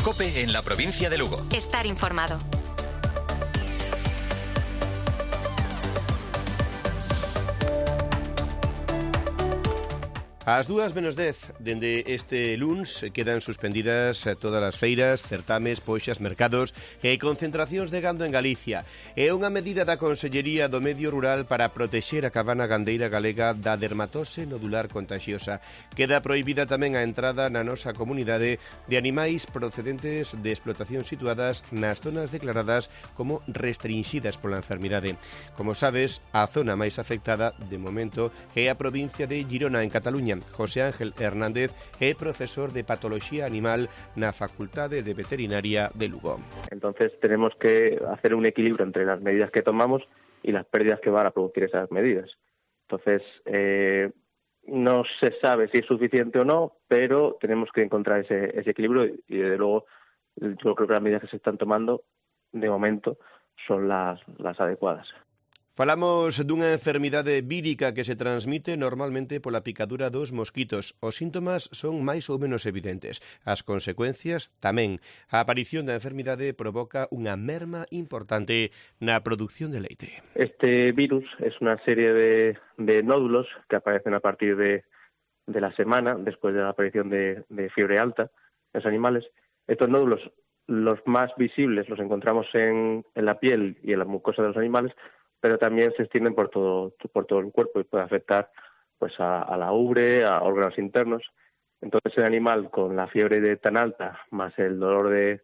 COPE en la provincia de Lugo. Estar informado. Ás 2:10, dende este luns, quedan suspendidas todas as feiras, certames, poxas, mercados e concentracións de gando en Galicia. É unha medida da Consellería do Medio Rural para protexer a cabana gandeira galega da dermatose nodular contagiosa. Queda prohibida tamén a entrada na nosa comunidade de animais procedentes de explotación situadas nas zonas declaradas como restringidas pola enfermidade. Como sabes, a zona máis afectada, de momento, é a provincia de Girona, en Cataluña. José Ángel Hernández é profesor de Patología Animal na Facultade de Veterinaria de Lugo. Entonces tenemos que hacer un equilibrio entre las medidas que tomamos y las pérdidas que van a producir esas medidas. Entonces, no se sabe si es suficiente o no, pero tenemos que encontrar ese equilibrio y desde luego yo creo que las medidas que se están tomando de momento son las adecuadas. Falamos dunha enfermidade vírica que se transmite normalmente pola picadura dos mosquitos. Os síntomas son máis ou menos evidentes. As consecuencias tamén. A aparición da enfermidade provoca unha merma importante na produción de leite. Este virus es una serie de nódulos que aparecen a partir de la semana, después de la aparición de fiebre alta en los animales. Estos nódulos, los más visibles, los encontramos en la piel y en la mucosa de los animales, pero también se extienden por todo el cuerpo y puede afectar pues a la ubre, a órganos internos. Entonces el animal con la fiebre tan alta más el dolor de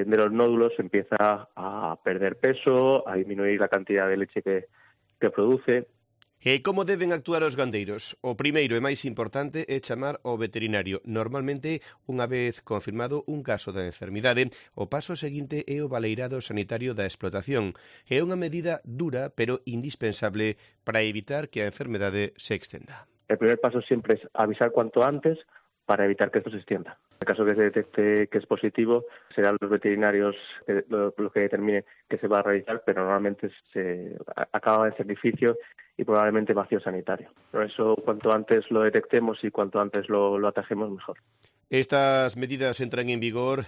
los nódulos empieza a perder peso, a disminuir la cantidad de leche que produce. E como deben actuar os gandeiros? O primeiro e máis importante é chamar ao veterinario. Normalmente, unha vez confirmado un caso da enfermidade, o paso seguinte é o baleirado sanitario da explotación. É unha medida dura, pero indispensable para evitar que a enfermedade se extenda. El primer paso siempre es avisar cuanto antes para evitar que esto se extienda. En el caso que se detecte que es positivo, serán los veterinarios los que determinen que se va a realizar, pero normalmente se acaba en sacrificio y probablemente vacío sanitario. Por eso, cuanto antes lo detectemos y cuanto antes lo atajemos, mejor. Estas medidas entran en vigor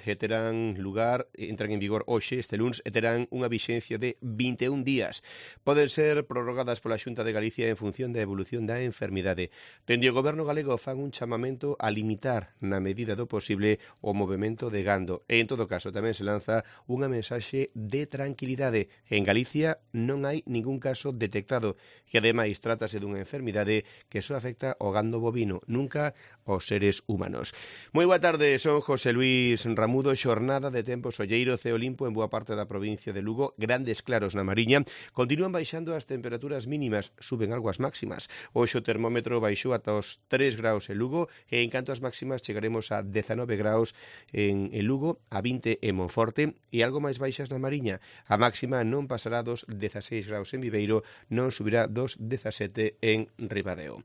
hoxe, este luns, e terán unha vixencia de 21 días. Poden ser prorrogadas pola Xunta de Galicia en función da evolución da enfermidade. Dende o Goberno galego fan un chamamento a limitar, na medida do posible, o movemento de gando. E, en todo caso, tamén se lanza unha mensaxe de tranquilidade. En Galicia non hai ningún caso detectado e, ademais, trátase dunha enfermidade que só afecta ao gando bovino, nunca aos seres humanos. Moi boa tarde, son José Luís Ramudo. Xornada de tempo solleiro, ceo limpo en boa parte da provincia de Lugo, grandes claros na Mariña. Continúan baixando as temperaturas mínimas, suben algo as máximas. Hoxe o termómetro baixou ata os 3 graus en Lugo e en canto as máximas chegaremos a 19 graus en Lugo, a 20 en Monforte e algo máis baixas na Mariña. A máxima non pasará dos 16 graus en Viveiro, non subirá dos 17 en Ribadeo.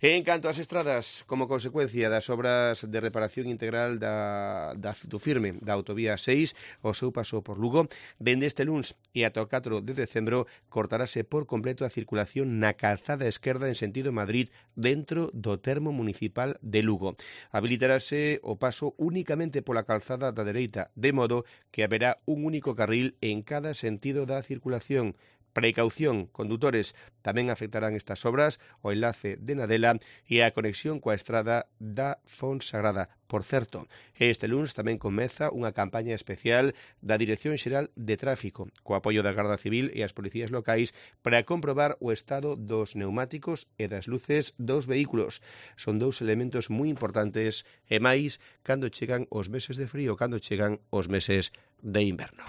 En canto ás estradas, como consecuencia das obras de reparación integral do firme da autovía 6, o seu paso por Lugo, dende este luns e ata o 4 de decembro cortarase por completo a circulación na calzada esquerda en sentido Madrid dentro do termo municipal de Lugo. Habilitarase o paso únicamente pola calzada da dereita, de modo que haberá un único carril en cada sentido da circulación. Precaución, condutores, tamén afectarán estas obras o enlace de Nadela e a conexión coa estrada da Fonsagrada. Por certo, este luns tamén comeza unha campaña especial da Dirección Xeral de Tráfico, co apoio da Garda Civil e as policías locais para comprobar o estado dos neumáticos e das luces dos vehículos. Son dous elementos moi importantes e máis cando chegan os meses de frío, cando chegan os meses de inverno.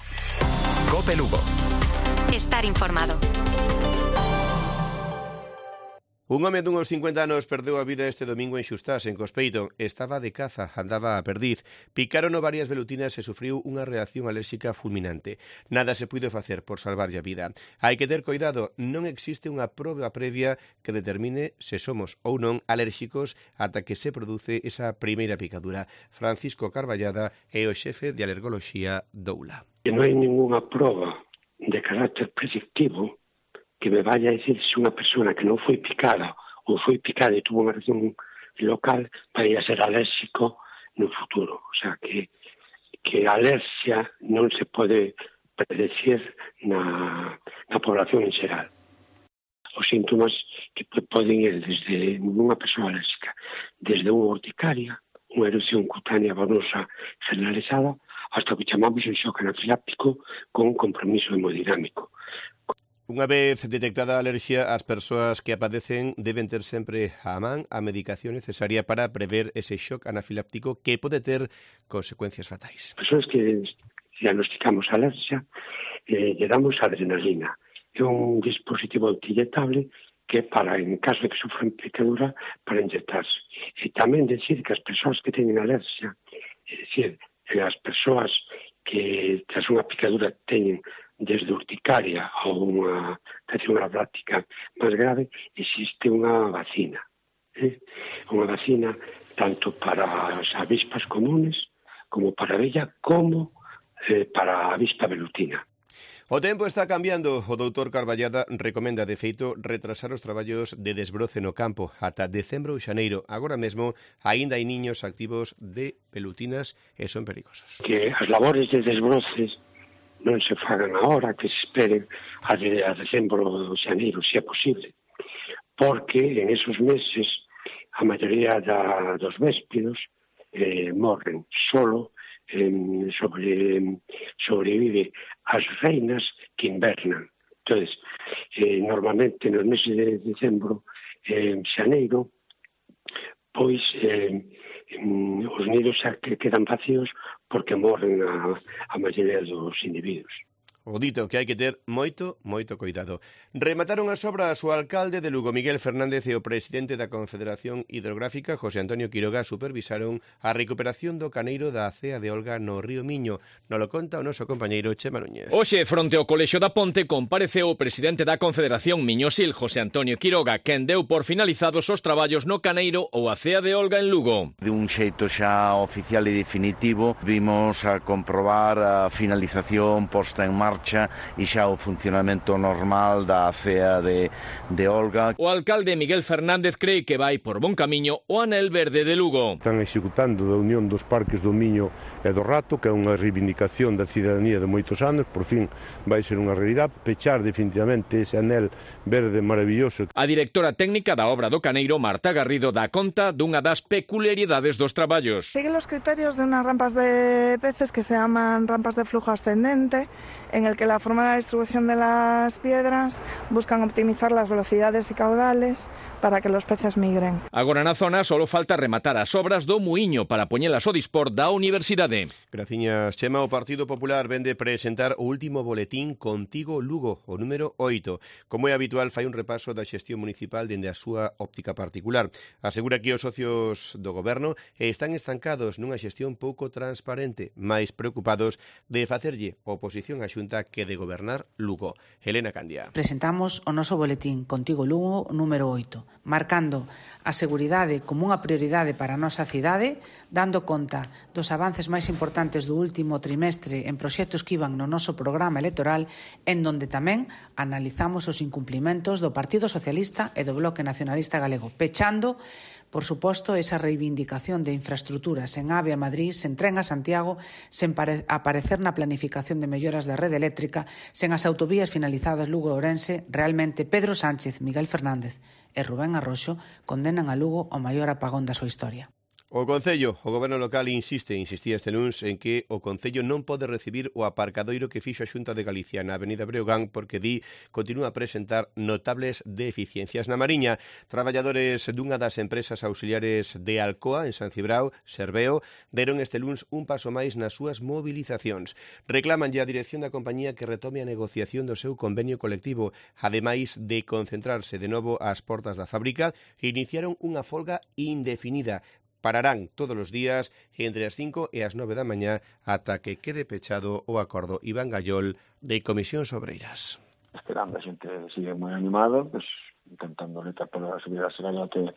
COPE Lugo. Estar informado. Un home dunhos 50 anos perdeu a vida este domingo en Xustás, en Cospeito. Estaba de caza, andaba a perdiz. Picarono varias velutinas e sufriu unha reacción alérxica fulminante. Nada se puido facer por salvarlle a vida. Hai que ter cuidado, non existe unha proba previa que determine se somos ou non alérxicos ata que se produce esa primeira picadura. Francisco Carballada é o xefe de alergoloxía doula. Non hai ninguna proba de carácter predictivo que me vaya a decir se unha persona que non foi picada ou foi picada e tuvo unha reacción local para ir a ser alérxico no futuro. O sea que que a alerxia non se pode predecir na población en xeral. Os síntomas que poden ir desde unha persoa alérxica, desde unha urticaria, unha erupción cutánea venosa generalizada, hasta o que chamamos un shock anafiláctico con compromiso hemodinámico. Unha vez detectada a alerxia, as persoas que a padecen deben ter sempre á man a medicación necesaria para prever ese shock anafiláctico que pode ter consecuencias fatais. As persoas que diagnosticamos alerxia, lle damos adrenalina. É un dispositivo autoinyectable que para, en caso de que sufran picadura, para inyectarse. E tamén decir que as persoas que teñen alerxia, é dicir, as persoas que tras unha picadura teñen desde urticaria a unha infección anafiláctica máis grave, existe unha vacina. Unha vacina tanto para as avispas comunes, como para a abella, como para a avispa velutina. O tempo está cambiando. O doutor Carballada recomenda, de feito, retrasar os traballos de desbroce no campo ata decembro ou xaneiro. Agora mesmo, aínda hai niños activos de pelutinas e son perigosos. Que as labores de desbroces non se fagan agora, que se esperen a decembro ou xaneiro, se é posible. Porque en esos meses a maioría dos véspidos morren solo, sobrevive as reinas que invernan. Entón, normalmente nos meses de decembro, xaneiro, pois os nidos xa que quedan vacíos porque morren a maioría dos individuos. O dito que hai que ter moito cuidado. Remataron as obras o alcalde de Lugo, Miguel Fernández, e o presidente da Confederación Hidrográfica, José Antonio Quiroga, supervisaron a recuperación do caneiro da acea de Olga no río Miño. Nolo conta o noso compañeiro Chema Núñez. Hoxe, fronte ao Colexio da Ponte, compareceu o presidente da Confederación Miñosil, José Antonio Quiroga, quen deu por finalizados os traballos no caneiro ou acea de Olga en Lugo. De un xeito xa oficial e definitivo, vimos a comprobar a finalización posta en marcha e xa o funcionamento normal da acea de Olga. O alcalde Miguel Fernández cree que vai por bon camiño o anel verde de Lugo. Están executando da Unión dos Parques do Miño e do Rato, que é unha reivindicación da cidadanía de moitos anos, por fin vai ser unha realidade, pechar definitivamente ese anel verde maravilloso. A directora técnica da obra do Caneiro, Marta Garrido, dá conta dunha das peculiaridades dos traballos. Sigue los criterios de unas rampas de peces que se llaman rampas de flujo ascendente, en el que la forma de la distribución de las piedras buscan optimizar las velocidades y caudales para que los peces migren. Agora na zona solo falta rematar as obras do muiño para poñelas ao dispor da universidade. Graciñas, Chema. O Partido Popular vende presentar o último boletín Contigo Lugo, o número 8. Como é habitual, fai un repaso da xestión municipal dende a súa óptica particular. Asegura que os socios do goberno están estancados nunha xestión pouco transparente, máis preocupados de facerlle oposición á Xunta que de gobernar Lugo. Helena Candia. Presentamos o noso boletín Contigo Lugo número 8, marcando a seguridade como unha prioridade para a nosa cidade, dando conta dos avances máis importantes do último trimestre en proxectos que iban no noso programa electoral, en donde tamén analizamos os incumplimentos do Partido Socialista e do Bloque Nacionalista Galego, pechando, por suposto, esa reivindicación de infraestructuras en AVE a Madrid, sen tren a Santiago, sen aparecer na planificación de melloras da rede eléctrica, sen as autovías finalizadas Lugo e Ourense. Realmente Pedro Sánchez, Miguel Fernández e Rubén Arroxo condenan a Lugo ao maior apagón da súa historia. O Concello, o Goberno local insistía este luns en que o Concello non pode recibir o aparcadoiro que fixo a Xunta de Galicia na Avenida Breogán porque continúa a presentar notables deficiencias. Na Mariña, traballadores dunha das empresas auxiliares de Alcoa, en San Cibrao, Serveo, deron este luns un paso máis nas súas movilizacións. Reclamanlle a dirección da compañía que retome a negociación do seu convenio colectivo. Ademais de concentrarse de novo ás portas da fábrica, iniciaron unha folga indefinida. Pararán todos os días entre as 5 e as 9 da mañá ata que quede pechado o acordo. Iván Gallol, de Comisións Obreiras. Esperando, a xente sigue moi animada, pues, intentando lutar para subir a salarial que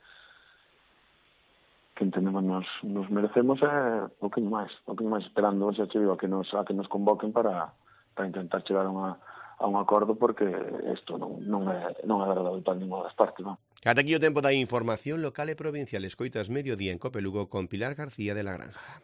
entendemos nos merecemos, un poquinho máis esperando, xa te digo, a que nos convoquen para intentar chegar a un acordo, porque isto non é agradable para ninguna das partes, non? Ata aquí o tempo da información local e provincial. Escoitas Mediodía en Cope Lugo con Pilar García de la Granja.